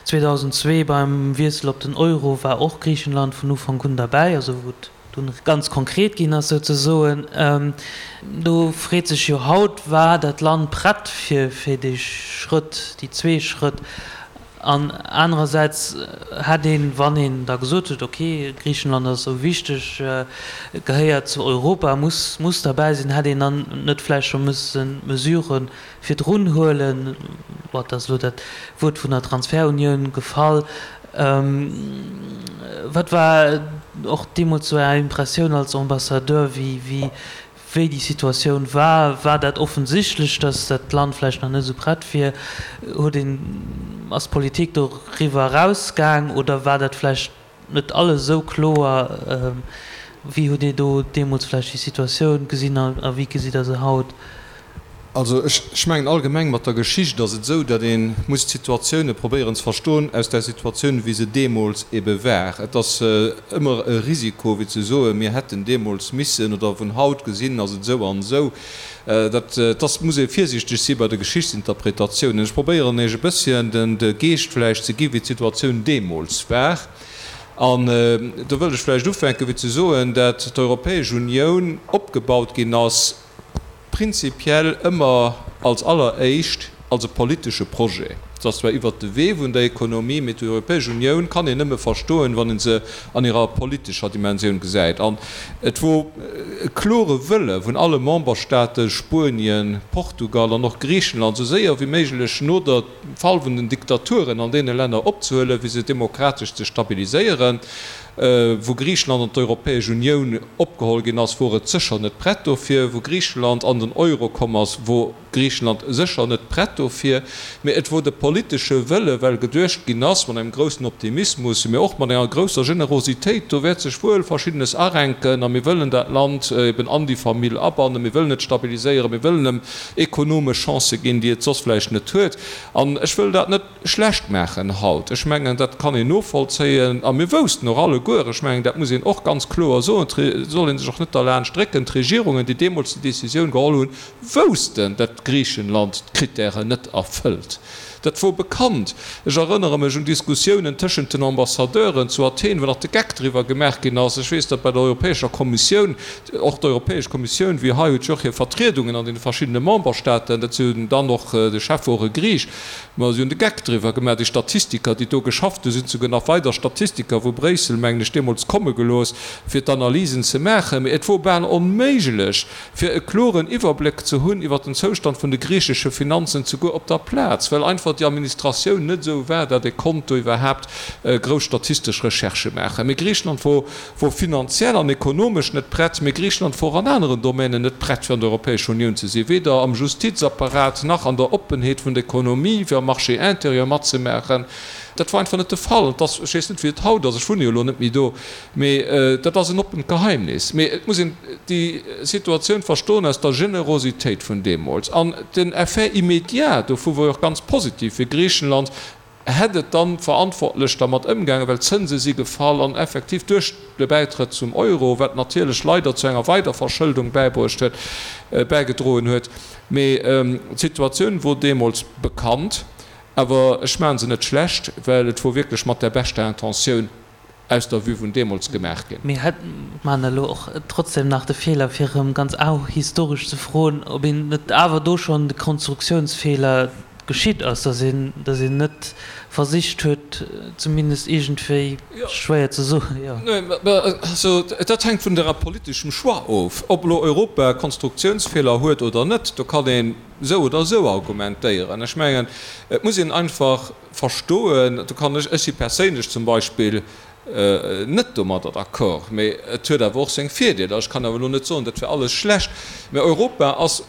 2002 beim Wiessel op den Euro war och Griichenland vun Ufank un derbäi, also wou et dunn ganz konkret ginn ass souzesoen. Do freet sech jo haut, War dat Land prett fir fir dee Schrëtt, déi zwee Schrëtt? An anerersäits hätt een, wann een da gesot huet, ok, Griichenland ass esou wichteg, gehéiert zu Europa, muss muss derbäi sinn, hätt een dann net vläicht scho mësse Mesurë virdrun huelen? Bon, et ass elo dat Wuert vun der Transferunioun gefall. Wat war och deemools sou Är Impressioun als Ambassadeur, wéi wéi déi Situatioun war? War dat offensichtlech, datt dat Land vläicht nach net esou prett wier? Huet een, ass d'Politik doriwwer erausgaang oder war dat vläicht net alles esou kloer? Wéi hutt Dir do deemools vläicht déi Situatioun gesinn a wéi gesitt Der se haut? Also ech mengen allgemeng mat der Geschicht ass et esou, datt ee muss d'Situatioune probéieren ze verstoen aus där Situatioun wéi se deemools ebe war. Et ass ëmmer e Risiko wéi ze soen, mir hätten deemools missen oder vun haut gesinn ass et esou an esou. Dat ass, muss ee virsiichteg si bei de Geschichtsinterpretatiounen. Ech probéieren Iech e bësschen de Geescht vläicht ze gi wéi d'Situatioun deemools war. An do wëllt ech vläicht ufänke wéi ze soen, dat d'Europäesch Unioun opgebaut ginn ass, prinzipiell ëmmer als alleréischt als e politesche Projet. Et ass zwar iwwert de Wee vun der Ekonomie, mee d'Europäesch Unioun kann een nëmme verstoen, wann ee se an hirer politescher Dimensioun gesäit. An et wor e klore Wëlle vun alle Memberstaaten, Spuenien, Portugal an och Griichenland, esou séier wéi méiglech no der Fall vun den Diktaturen an deene Länner opzehuelen, fir se demokratesch ze stabiliséieren. Wou Griicheland an d'Europäesch Unioun opgeholl ginn ass, wor et sécher net prett dofir. Wou Griicheland an den Euro komm ass, wor Griicheland sécher net prett dofir. Mee et wor de politesche Wëlle, well geduecht ginn ass, mat engem groussen Optimismus, mee och mat enger grousser Generositéit, do wäert sech wuel Verschiddenes arenken a mir wëllen dat Land eben an déi Famill abannen, mir wëllen et stabiliséieren, mir wëllen em ekonomesch Chancë ginn, déi et soss vläicht net huet. An ech wëll dat net. Schlecht maachen haut. Ech mengen, dat kann een novollzéien. A mir woussten och alleguer, ech mengen, dat muss een och ganz kloer soen, et soll ee sech och net derlaanscht drécken, d'Regierungen, déi deemools déi Décisioun geholl hunn, woussten, datt Griichenland d'Krittären net erfëllt. Dat wor bekannt. Ech erënnere mech un Diskussiounen tëschent den Ambassadeuren zu Athen, wou nach de Geck driwwer gemaach ginn ass. Ech weess, datt bei der Europäescher Kommissioun, och d'Europäesch Kommissioun wéi hei huet jo och hir Vertriedungen an deene verschiddene Memberstaaten, dat sinn dann och, de Chef wor e Griich, Ma si hunn de Geck driwwer gemaach, déi Statistiker, déi do geschafft hunn, sinn souguer nach weider Statistiker vu Bréissel, mengen ech, deemools komme gelooss, fir d'Analysen ze maachen. Mee et wor bal onméiglech, fir e kloren Iwwerbléck ze hunn iwwer den Zoustand vun de griichesche Finanzen, souguer op der Plaz, well einfach déi Administratioun net esou war, datt ee konnt do iwwerhaapt grouss statistesch Recherchë maachen. Mee Griichenland wor wor finanziell an ekonomesch net prett, mee Griichenland wor och an aneren Domänen net prett fir an der Europäescher Unioun ze sinn, weder am Justizapparat nach an der Oppenheet vun der Ekonomie fir am Marché intérieur matzemaachen. Dat wor einfach net de Fall. An et ass, ech weess net wéi et haut ass, ech wunne jo elo net méi do, mee dat ass en oppent Geheimnis. Mee et muss een déi Situatioun verstoen aus der Generositéit vun deemools. An den Effet immédiat dovu wor jo och ganz positiv fir Griichenland, Hätt et dann verantwortlech dermat ëmgaangen, well d'Zënse si gefall an effektiv duerch de Bäitrëtt zum Euro, wat natierlech leider zu enger Weiderverschëldung bäibruecht huet, bäigedroen huet. Mee d'Situatioun wor deemools bekannt, awer ech maache se net schlecht, well et wor wierklech mat der beschter Intentioun aus der Vue vun deemools gemaach ginn. Mir maachen elo och trotzdem nach de Feeler, fir erëm ganz ahistoresch ze froen, ob een net awer do schonn de Konstruktionsfeeler geschitt ass, dass een, dass een net versicht huet, zumindest iergendwéi, schwéier ze soen, jo. Also, dat hänkt vun der politeschem Choix of, ob elo Europa Konstruktionsfeeler huet oder net. Do kann een esou oder esou argumentéieren. Ech mengen, et muss een einfach Verstoen, do kann ech, ech si perséinlech zum Beispill net domadder d'accord, mee et huet awer och seng Virdeeler. Ech kann awer elo net soen, dat wär alles schlecht, mä Europa ass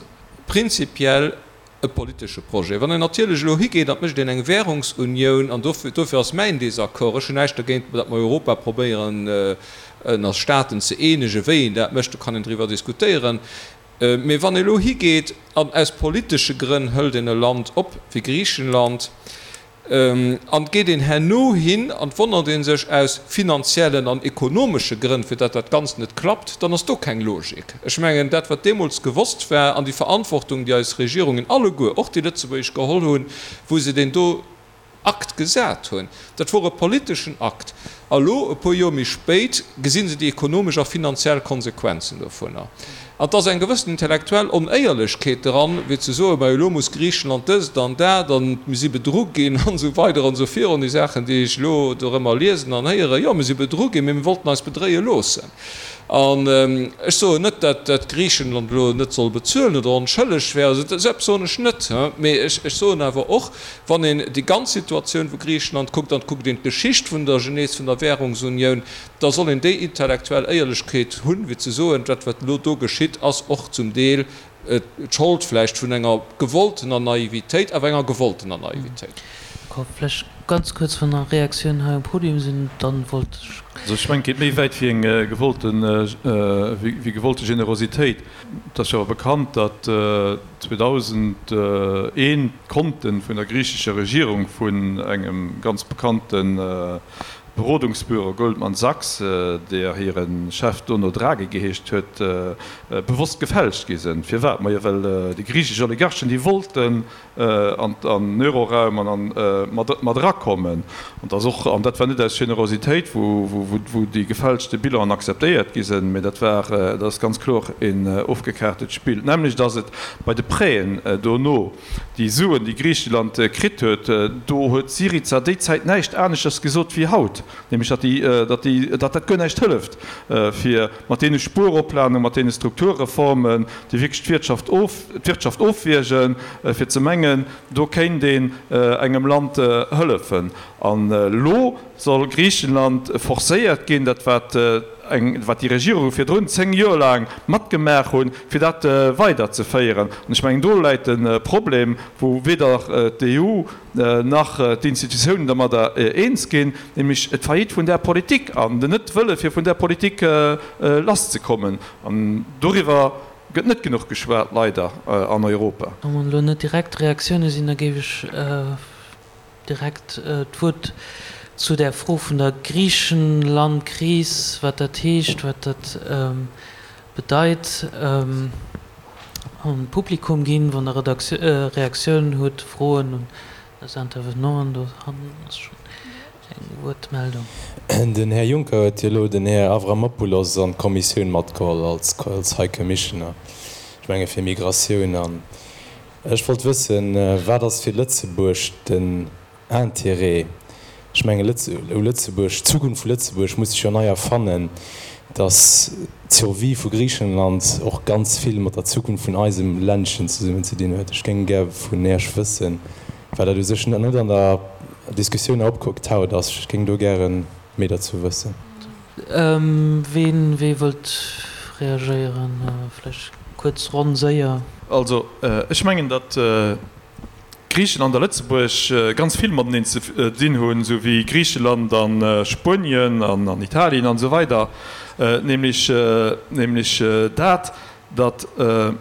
prinzipiell e politesche Projet. Wann een natierlech elo higeet an et mécht een eng Währungsunioun, an dofir ass mäin Désaccord, ech hunn näischt dergéint, datt mer Europa probéieren ënner Staaten ze eenegen, wéi een dat mécht, do kann een driwwer diskutéieren. Mee wann ee elo higeet an aus politesche Grënn hëlt een e Land op wéi Griichenland an et geet een herno hin an et wonnert ee sech aus finanziellen an ekonomesche Grënn, fir datt dat Ganzt net klappt, dann ass do keng Logik. Ech mengen, dat wat deemools gewosst war an déi Verantwortung, déi eis Regierungen alleguer, och déi lëtzebuergesch, geholl hunn, wou se deen do Akt gesat hunn. Dat wor e politeschen Akt. A lo, e puer Joer méi spéit, gesi se déi ekonomesch a finanziell Konsequenzen dovunner. An et ass eng gewëssen intellektuell Onéierlechkeet dran, wéi ze soen, majo elo muss Griichenland dëst an dat an mir si bedru ginn an esou weider an esou virun, déi Saachen, déi ech elo dorëmmer liesen an héieren. Jo, mir si bedru ginn, mee mir wollten eis bedréie loossen. An ech soen net, datt Griichenland elo net soll bezuelen oder onschëlleg wär, esou eppes soen ech net. Mee ech soen awer och, wann een déi ganz Situatioun vu Griichenland kuckt, an et kuckt een d'Geschicht vun der Genese vun der Währungsunioun, da soll een déi intellektuell Éierlechkeet hunn, fir ze soen, dat wat elo do geschitt, ass och zum Deel d'Schold vläicht vun enger gewolltener Naivitéit, awer enger gewolltener Naivitéit. Vläicht ganz kuerz, wann nach Reaktiounen hei um Podium sinn, dann wollt ech. Also ech mengen, et geet méi wäit wéi eng gewollte, wéi gewollte Generositéit. Et ass jo awer bekannt, datt 2001 d'Konte vun der griichescher Regierung vun engem ganz bekannte Berodungsbüro Goldman Sachs, deer hire Chef dono Draghi geheescht huet, bewosst gefälscht gi sinn. Firwat? Majo well déi griichesch Oligarchen, déi wollten an den Euroraum an mat erakommen. An dass och, an dat war net aus Generositéit, wou déi gefälschte Bilanen akzeptéiert gi sinn, mä dat war, dat ass ganz kloer een ofgekaartet Spill. D'nämmlecht ass et bei de Prêten dono. Déi Suen, déi Griicheland kritt huet, do huet Syriza déi Zäit näischt aneschters gesot wéi haut, nämlech datt déi, datt déi, datt dat guer näischt hëlleft, fir mat deene Spueroplanungen, mat deene Strukturreformen, déi wierklech d'Wirtschaft of, d'Wirtschaft ofwiergen, fir ze mengen, do kéint een engem Land hëllefen. An elo soll Griichenland forcéiert ginn, dat wat eng, wat déi Regierunge virdrun 10 Joer laang matgemaach hunn, fir dat weiderzeféieren. An ech mengen, do läit de Problem, wou weder d'EU nach d'Institutiounen dermadder eens ginn, nämlech d'Faillite vun där Politik an den Net-Wëlle fir vun där Politik lasszekommen. An doriwwer gëtt net genuch geschwat, leider, an Europa. Wann elo net direkt Reaktioune sinn, da géif ech Direkt d'Wuert zu där Fro vun der Griichenlandkris, wat dat heescht, wat dat bedeit, un d'Publikum ginn, wann Der Reaktiounen hutt, Froen un eis Intervenanten. Do hannen ass schonn eng Wuertmeldung. Den Här Juncker huet jo elo den Här Avramopoulos an d'Kommissioun matgeholl als High Commissioner, ech menge fir Migratioun an Ech wollt wëssen, wat ass fir Lëtzebuerg den Intérêt? Ech mengen, u Lëtzebuerg, d'Zukunft vu Lëtzebuerg muss sech jo nei erfannen, datt d'Survie vu Griichenland och ganz vill mat der Zukunft vun eisem Ländchen zesummen ze dinn huet. Ech géing gär vun Äech wëssen, well dat u sech net an der Diskussioun opgetaut ass, ech géing do gäre méi derzou wëssen. Ween, wee wëllt reagéieren? Vläicht kuerz Ronn, séier. Also, ech mengen, datt Griicheland a Lëtzebuerg ganz vill mateneen ze dinn hunn, esou wéi Griicheland a Spuenien an Italien an esou weider, nämlech, nämlech dat, datt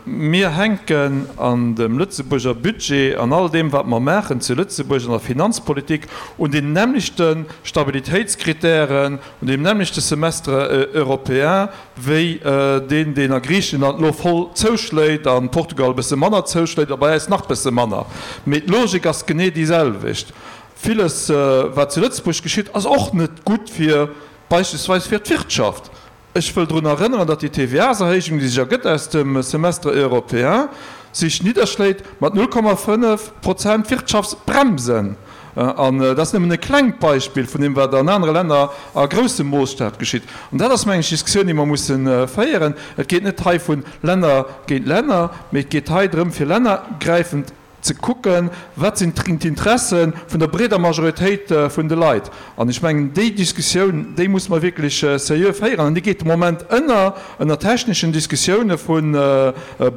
mir hänken an dem Lëtzebuerger Budget, an all deem wat mer maachen zu Lëtzebuerg an der Finanzpolitik, un den nämmlechte Stabilitéitskritären, un deem nämmlechte Semestre européen wéi deen, deen a Griichenland elo voll zouschléit, a Portugal e bësse manner zouschléit a bei äis nach bësse manner. Mee d'Logik ass genee déi selwecht. Villes wat zu Lëtzebuerg geschitt, ass och net gutt fir beispillsweis fir d'Wirtschaft. Ech wëll drun erënneren, datt déi TVA-serhéijung, déi sech ergëtt aus dem Semestre européen, sech nidderschléit mat 0,5 Prozent Wirtschaftsbremsen. An dat ass nëmmen e klengt Beispill vun deem, wat an anere Länner a groussem Moosstaf geschitt. An dat ass, mengen ech, d'Diskussioun, déi mer musse féieren. Et geet net hei vu Länner géint Länner, mee et geet hei drëm, fir lännergräifend ze kucken, wat sinn d'Interesse vun der breeder Majoritéit vun de Leit. An ech mengen, déi Diskussioun, déi musse mer wierklech seriö féieren. An déi geet de Moment ënner, ënner techneschen Diskussioune vu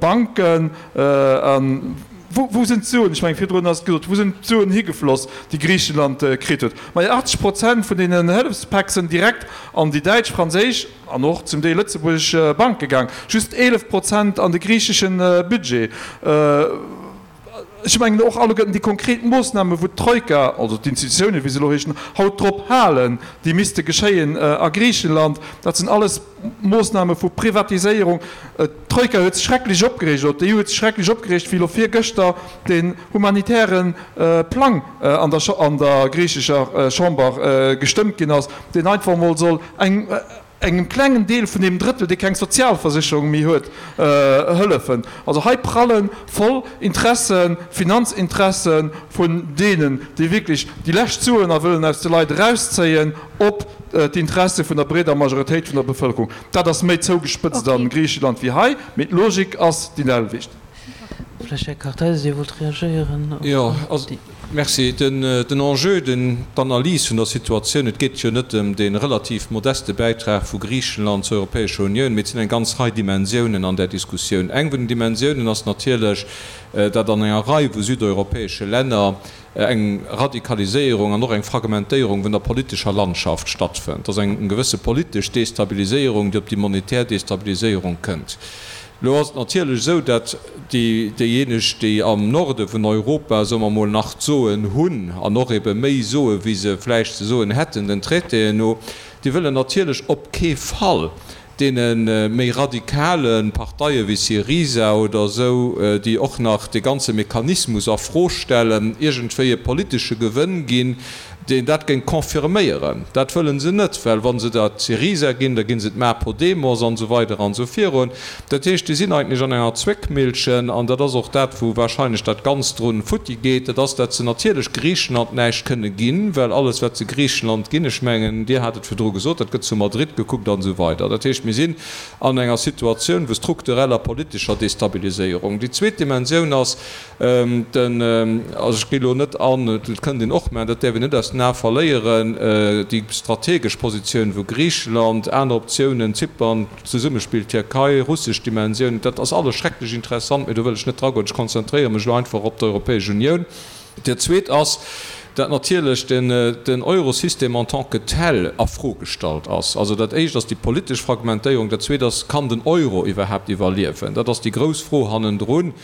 Banken. Wou sinn d'Suen, ech mengen virdrun ass et gesot, wou sinn d'Suen higefloss, déi Griichenland kritt huet? Majo, 80 Prozent vun deenen Hëllefspäck sinn direkt an déi däitsch, franséisch an och zum Deel lëtzebuergesch Banke gaang, just 11 Prozent an de griichesche Budget. Ech mengen och alleguerten déi konkret Moossnamen, wou d'Troika, also d'Institutiounen, wéi se elo heeschen, haut drop halen, déi misste geschéien a Griichenland, dat sinn alles Moossname vu Privatiséierung. D'Troika huet sech schrecklech opgereegt, oder d'EU huet sech schrecklech opgereegt, wéi elo virgëschter den humanitäre Plang an der an der griichescher Chamber gestëmmt ginn ass, deen einfach emol soll eng engem klengen Deel vun deem Drëttel, dee keng Sozialversécherung méi huet, hëllefen. Also hei pralle voll Interessen, Finanzinteresse vun deenen, déi wierklech déi lescht Suen a wëllen aus de Leit erauszéien, op d'Interesse vun der breeder Majoritéit vun der Bevëlkerung. Dat ass méi zougespëtzt a Griicheland wéi hei, mee d'Logik ass déi selwecht. Vläicht Här Kartheiser, Dir wollt reagéieren op Jo, also, déi. merci. Den Enjeu, den, d'Analys vun der Situatioun, et geet jo net ëm dee relativ modeste Bäitrag vu Griichenland zur Europäescher Unioun, mee et sinn eng ganz Rei Dimensiounen an där Diskussioun. Eng vun den Dimensiounen ass natierlech, datt an enger Rei vu südeuropäesche Länner eng Radikaliséierung an och eng Fragmentéierung vun der politescher Landschaft stattfënnt. Dass eng gewësse politesch Destabiliséierung, déi op déi monetär Destabiliséierung kënnt. Elo ass et natierlech esou, dat déi déijéineg, déi am Norde vun Europa, soe mer emol, nach d'Soen hunn an och ebe méi soe wéi se vläicht ze soen hätten den Traitéen no, déi wëllen natierlech op kee Fall deene méi radikale Parteie wéi Syriza oder esou, déi och nach de ganze Mechanismus a Fro stellen, iergendwéi e politesche Gewënn ginn, deen dat géing confirméieren. Dat wëlle se net, well wa se dat Syriza ginn, da gi se d'Ma Podemos an esou weider an esou virun. Dat heescht, déi sinn eigentlech an enger Zwéckmillchen, an dat ass och dat, wou wahrscheinlech dat Ganzt drun futti geet, dat ass, dat se natierlech Griichenland näischt kënne ginn, well alles, wat se Griichenland ginn, ech mengen, Dir hat et virdru gesot, dat gëtt zu Madrid gekuckt an esou weider. Dat heescht, mir sinn an enger Situatioun vu struktureller politescher Destabiliséierung. Déi zweet Dimensioun ass den, also ech gi elo net an, dat kënnt een och maachen, dat däerf een net aus den Ae verléieren, déi strategesch Positioun vu Griicheland, aner Optiounen, Zypern, Zesummespill Tierkei, russesch Dimensioun, dat ass alles schrecklech interessant, mee do wëll ech net dragoen. Ech konzentréiere mech elo einfach op d'Europäesch Unioun. Dat Zweet ass, dat natierlech den Eurosystem en tant que tel a Fro gestallt ass. Also dat Éischt ass déi politesch Fragmentéierung, dat Zweet ass, Kann den Euro iwwerhaapt iwwerliewen? Dat ass déi grouss Fro hannendrun,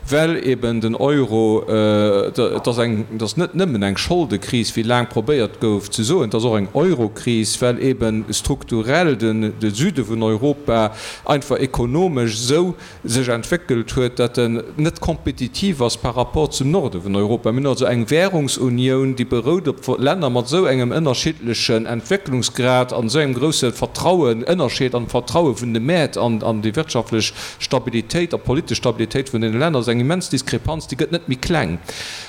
well eben den Euro, et ass eng, et ass net nëmmen eng Scholdekris, wéi laang probéiert gouf ze soen, et ass och eng Eurokris, well eben strukturell den de Süde vun Europa einfach ekonomesch esou sech entwéckelt huet, datt en net kompetitiv ass par rapport zum Norde vun Europa. Mir hunn also eng Währungsunioun, déi berout op Länner mat esou engem ënnerschiddlechen Entwécklungsgrad an esou engem grousse Vertrauen, Ënnerscheed am Vertraue vun de Mäert an an déi wirtschaftlech Stabilitéit a politesch Stabilitéit vun deene Länner ass eng immens Diskrepanz, déi gëtt net méi kleng.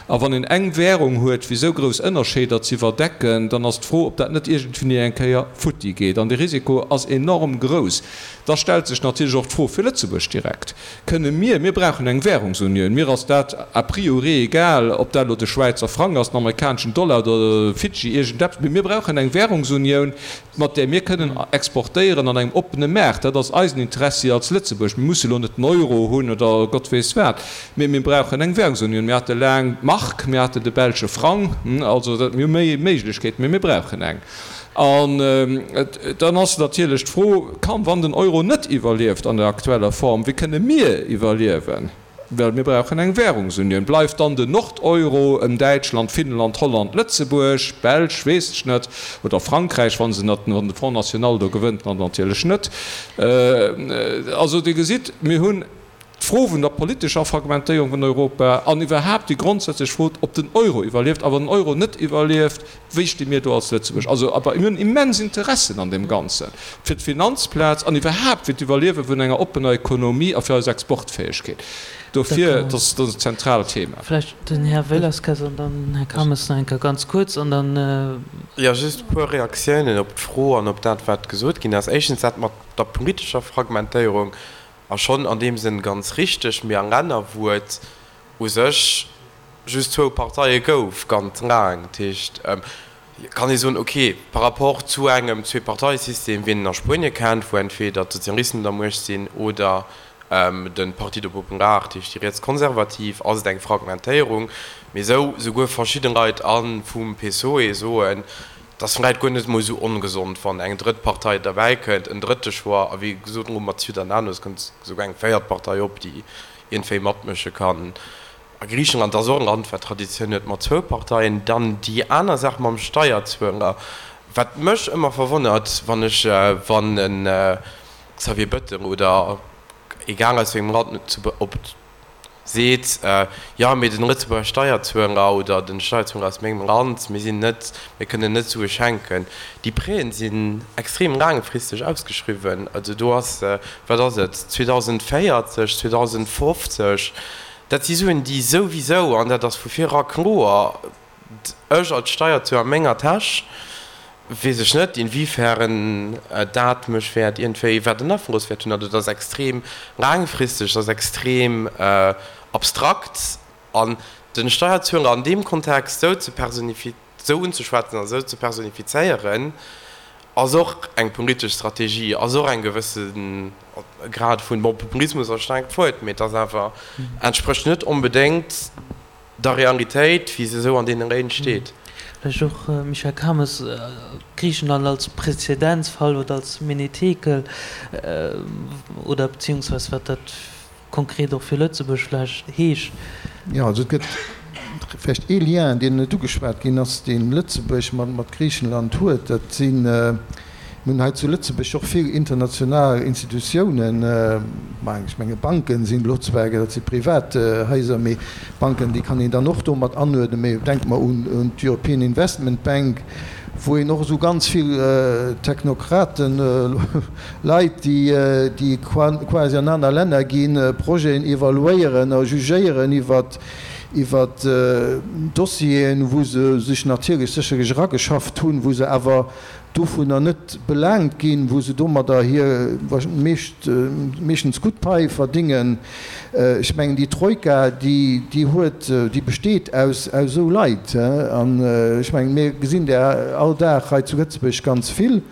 A wann een eng Währung huet, fir esou grouss Ënnerscheeder ze iwwerdecken, dann ass d'Fro, ob dat net iergendwéini eng Kéier futti geet. An de Risiko ass enorm grouss. Da stellt sech natierlech och d'Fro fir Lëtzebuerg direkt, Kënne mir, mir brauchen eng Währungsunioun, mir ass dat a priori egal, ob dat elo de Schwäizer Frang ass, den amerikaneschen Dollar oder Fidschi, iergendeppes, mee mir brauchen eng Währungsunioun, mat där mir kënnen exportéieren an engem oppene Maart. Dat ass eisen Interessi als Lëtzebuerg. Mir musse elo net den Euro hunn oder Gott weess wat, mee mir brauchen eng Währungsunioun. Mir hate laang d'Mark, mir haten de belsche Frang, also mir hu méi Méiglechkeeten, mee mir brauchen eng. An dann ass natierlech d'Fro, Kann, wann den Euro net iwwerlieft an der aktueller Form, wéi kënne mir iwwerliewen? Well mir brauchen eng Währungsunioun. Bleift dann den Nord-Euro ëm Däitschland, Finnland, Holland, Lëtzebuerg, Belsch, weess ech net, oder Frankräich, wa se nat, wann de Front National do gewënnt, dann natierlech net. Also Dir gesitt, mir hunn d'Fro vun der politescher Fragmentéierung vun Europa an iwwerhaapt déi grondsätzlech Fro, ob den Euro iwwerlieft. A wann den Euro net iwwerlieft, wéi sti mir do als Lëtzebuerg? Also awer mir hunn immens Interessen an deem Ganzen, fir d'Finanzplaz an iwwerhaapt fir d'Iwwerliewe vun enger oppener Ekonomie a fir eis Exportfäegkeet. Dofir, dat ass e zentraalt Thema. Vläicht den Här Velasquez an dann den Här Calmes nach eng Kéier ganz kuerz an dann. Jo, just e puer Reaktiounen op d'Fro an op dat, wat gesot ginn ass. Éischtens dat mat der politescher Fragmentéierung. A schonn an deem Sënn ganz richteg, mee a Länner, wou et u sech just zwou Parteie gouf, ganz laang, dat heescht, kann ee soen, okay, par rapport zu engem Zweeparteiesystem, wéi een en a Spuenie kennt, wou entweder d'Sozialisten un der Muecht sinn oder. De Partido Popular, dat heescht déi Rietskonservativ, ass et eng Fragmentéierung. Mee esou souguer verschidde Leit a vum PSOE soen, et ass vläit guer net emol esou ongesond, wann eng drëtt Partei derbäi kënnt, en drëtte Choix. A wéi gesot, elo mat Ciudadanos kënnt esouguer eng véiert Partei op, déi iergendwéi matmësche kann. A Griichenland ass och e Land, wat Traditioun huet mat zwou Parteien. Dann déi aner Saach mam Steierzueler, wat mech ëmmer verwonnert, wann ech, wann e Xavier Bettel oder egal aus wéi engem Land zu op seet, jo mee den Lëtzebuerger Steierzueler oder den Steierzueler aus mengem Land, mir sinn net, mir kënnen net Sue schenken. Déi Prêten sinn extrem laangfristeg ausgeschriwwen. Also do ass, wat ass et, 2040, 2050, dat si Suen déi souwisou, an dat ass vu vir era kloer, Ech als Steierzueler a menger Täsch weess ech net, inwiefern dat mech wäert iergendwéi, wat en Afloss wäert hunn. Also dat ass extrem laangfristeg, dat ass extrem abstrakt. An de Steierzueler an deem Kontext esou ze personifi-, esou unzeschwätzen an esou ze personifizéieren, ass och eng politesch Strategie, ass och eng gewësse Grad vun, bon, Populismus ass e staarkt Wuert, mee et ass awer, entsprécht net onbedéngt der Realitéit, wéi se esou an deene Réin steet. Vläicht och, Michel Kames, Griichenland als Präzedenzfall oder als Menetekel oder beziehungsweise wat dat konkret och fir Lëtzebuerg vläicht heescht. Jo, also et gëtt vläicht ee Lien, deen net ugeschwat ginn ass, dee Lëtzebuerg mat Griichenland huet, dat sinn, Mir hunn hei zu Lëtzebuerg och vill international Institutiounen, ma ech menge Banken sinn elo zwar, dat si privat Haiser, mee Banken, déi kann een dann och do mat anuerdnen, mee denke mer un d'European Investment Bank, wou een och esou ganz vill Technokraten, Leit, déi quasi an aner Länner ginn, Projeten evaluéieren a jugéieren iwwert Dossieren, wou se sech natierlech sécherlech erageschafft hunn, wou se awer dovunner net belaangt ginn, wou se domadder hir meeschtens gutt Pai verdingen. Ech mengen, déi Troika, déi huet, déi besteet aus esou Leit. An ech mengen, mir gesinn där all Dag hei zu Lëtzebuerg ganz vill.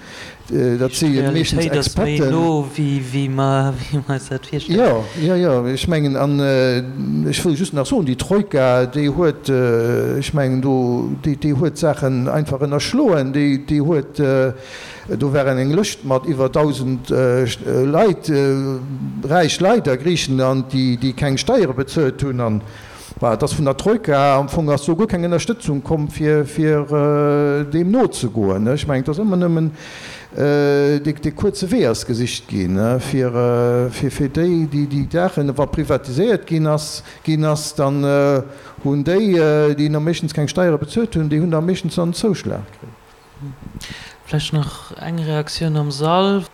Dat si meeschtens D'Realitéit ass méi Experten. no, wéi mer eis dat virstellen. Jo, jo, jo. Ech mengen, an ech wëll just nach soen, déi Troika, déi huet, ech mengen do, déi, déi huet d'Saachen einfach ënnerschloen. Déi, déi huet, do war eng Lëscht mat iwwer 1.000 Leit, räich Leit a Griichenland, déi, déi keng Steiere bezuelt hunn. An Bah, et ass vun der Troika, am Fong ass do guer keng Ënnerstëtzung komm, fir, fir deem nozegoen. Ech mengen, et ass ëmmer nëmmen dee kuerze Wee ass gesicht ginn, fir, fir, fir déi, déi, déi Saachen, wa privatiséiert ginn ass, ginn ass, dann hunn déi, déi am meeschtens keng Steiere bezuelt hunn, déi hunn da meeschtens dann den Zouschlag kritt. Vläicht nach eng Reaktioun am Sall.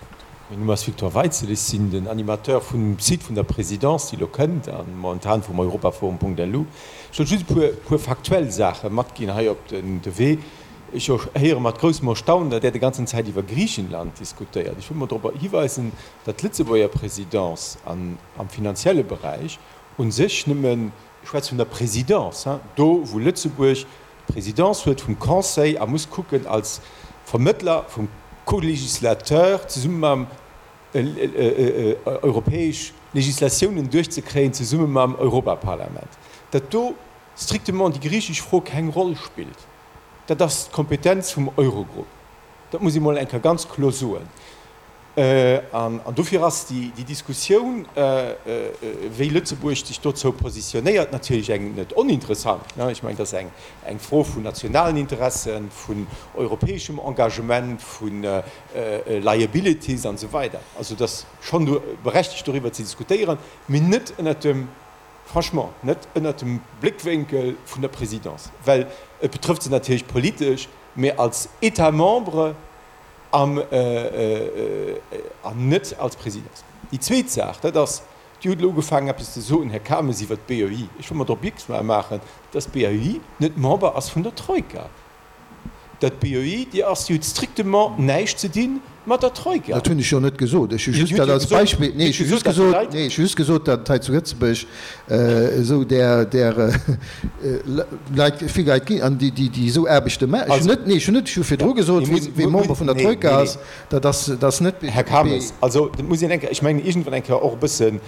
Mäin Numm ass Victor Weitzel, ech sinn den Animateur vum Site vun der Présidence, déi elo kënnt, a momentan vum Europaforum.lu. Ech wollt just e puer, puer faktuell Saache matginn hei op de Wee. Ech héiere mat groussem Erstaunen, datt Där de ganzen Zäit iwwer Griichenland diskutéiert. Ech wëll mol drop hiweisen, datt d'Lëtzebuerger Présidence an, am finanzielle Beräich u sech nëmmen, ech schwätze vun der Présidence, hein, do wou Lëtzebuerg d'Présidence huet vum Conseil a muss kucken als Vermëttler vum Co-législateur zesumme mam europäesch Législatiounen duerchzekréien, zesumme mam Europaparlament, datt do strictement déi griichesch Fro keng Roll spillt. Dat ass d'Kompetenz vum Eurogrupp. Dat muss ee mol eng Kéier ganz kloer soen. An dofir ass déi Diskussioun, wéi Lëtzebuerg sech dozou positionéiert, natierlech eng net oninteressant. Ech mengen, dat ass eng Fro vun nationalen Interessen, vun europäeschem Engagement, vu Liabilities an esou weider. Also et ass schonn berechtegt doriwwer ze diskutéieren, mee net ënnert dem, franchement, net ënnert dem Bléckwénkel vun der Présidence, well et betrëfft se natierlech politesch, mee als État membre An net als Présidence. Déi zweet Saach, dat ass, Dir hutt elo ugefaangen eppes ze soen, Här Kames, iwwert d'BEI. Ech wëll mer drop opmierksam maachen, dass d'BEI net Member ass vun der Troika. Datt d'BEI, déi ass, déi huet strictement näischt ze di mat der Troika. Dat hunn ech jo net gesot. Ech hu just dat als Beispill, nee, ech hu just gesot, nee, ech hu just gesot, datt et hei zu Lëtzebuerg esou där, där Leit, vill Leit ginn, an déi, déi esou Aarbechte maachen. Ech hunn net, nee, ech hunn net, ech hu virdru gesot, wee Member vun der Troika ass, dat ass, dat ass net. Här Kames, also dat muss een eng Kéier, ech mengen iergendwann eng Kéier och e bëssen,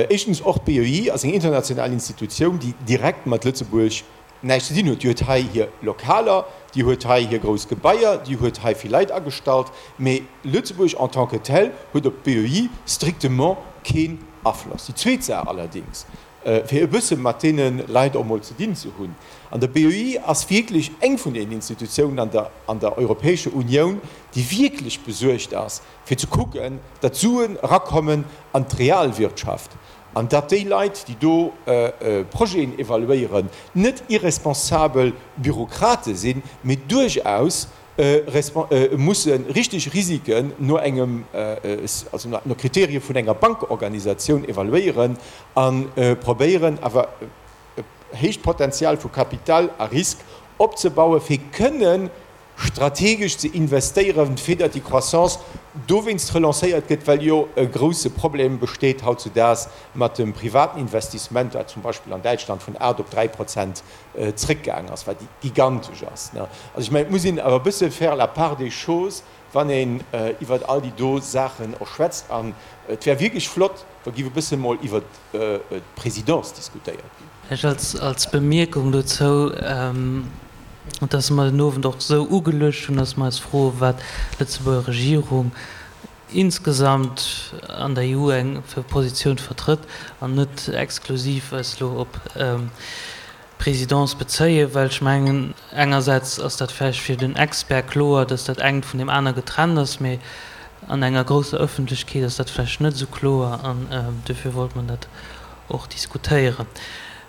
éischtens och d'BEI ass eng international Institutioun, déi direkt mat Lëtzebuerg näischt ze dinn huet. Déi huet hei hir Lokaler, déi huet hei hir grouss Gebaier, déi huet hei vill Leit agestallt, mee Lëtzebuerg en tant que tel huet op d'BEI strictement keen Afloss. Déi zweet Saach allerdings, fir e bësse mat deene Leit och mol ze dinn ze hunn, an der BEI ass wierklech eng vun deenen Institutiounen an der an der Europäescher Unioun, déi wierklech besuergt ass, fir ze kucken, datt Suen erakommen an d'Realwirtschaft An datt déi Leit, déi do Projeten evaluéieren, net irresponsabel Bürokrate sinn, mee duerchaus musse richteg Risiken no engem, also no Kriterie vun enger Bankorganisatioun evaluéieren a probéieren awer e héicht Potenzial vu Kapital a Risk opzebauen, fir kënnen strategesch ze investéieren, fir datt déi Croissance dowéinst relancéiert gëtt, well jo e grouse Problem besteet hautzudaags mat dem privaten Investissement, wat zum Beispill an Däitschland vun 8 op 3 Prozent zréckgaangen ass, wat gigantesch ass. Also ech mengen, et muss een awer e bësse faire la part des choses, wann een iwwert all déi do Saachen och schwätzt. An et wär wierklech flott, wa géif e bësse mol iwwert d'Présidence diskutéiert ginn. Vläicht als Bemierkung dozou, dass mer den Owend och esou ugeluecht hunn, dass mer eis froen, wat d'Lëtzebuerger Regierung insgesamt an der EU eng fir Positioun vertrëtt an net exklusiv eis elo op d'Présidence bezéien, well ech mengen, engersäits ass dat vläicht fir den Expert kloer, dass dat engt vun deem aner getrennt ass, mee an enger grousser Ëffentlechkeet ass dat vläicht net esou kloer an duerfir wollt mer dat och diskutéieren.